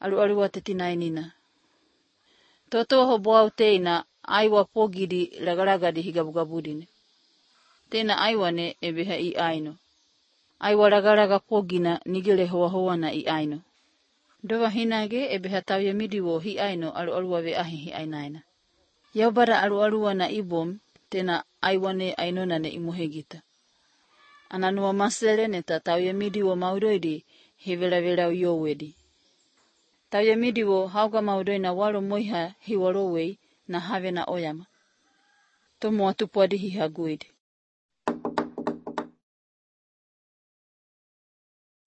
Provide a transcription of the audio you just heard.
alualua te tinainina. Toto ho boau teina aiwa pogidi lagalagadi higabugabudine. Tena aiwane ebeha I aino. Aiwa lagalaga pogina nigele hoa na I aino. Doa hinage ebeha tauya midiwo hi aino alualua ve ahi hi ainaina. Yaubara alualua na ibom tena aiwane ainona ne imuhegita. Ananua masele neta tauya midiwo maudoidi hivela uyowedi. Tauya midiwo hauga maudoina walo moiha hi walowei na have na oyama. Tomo atupuadi hi haguidi.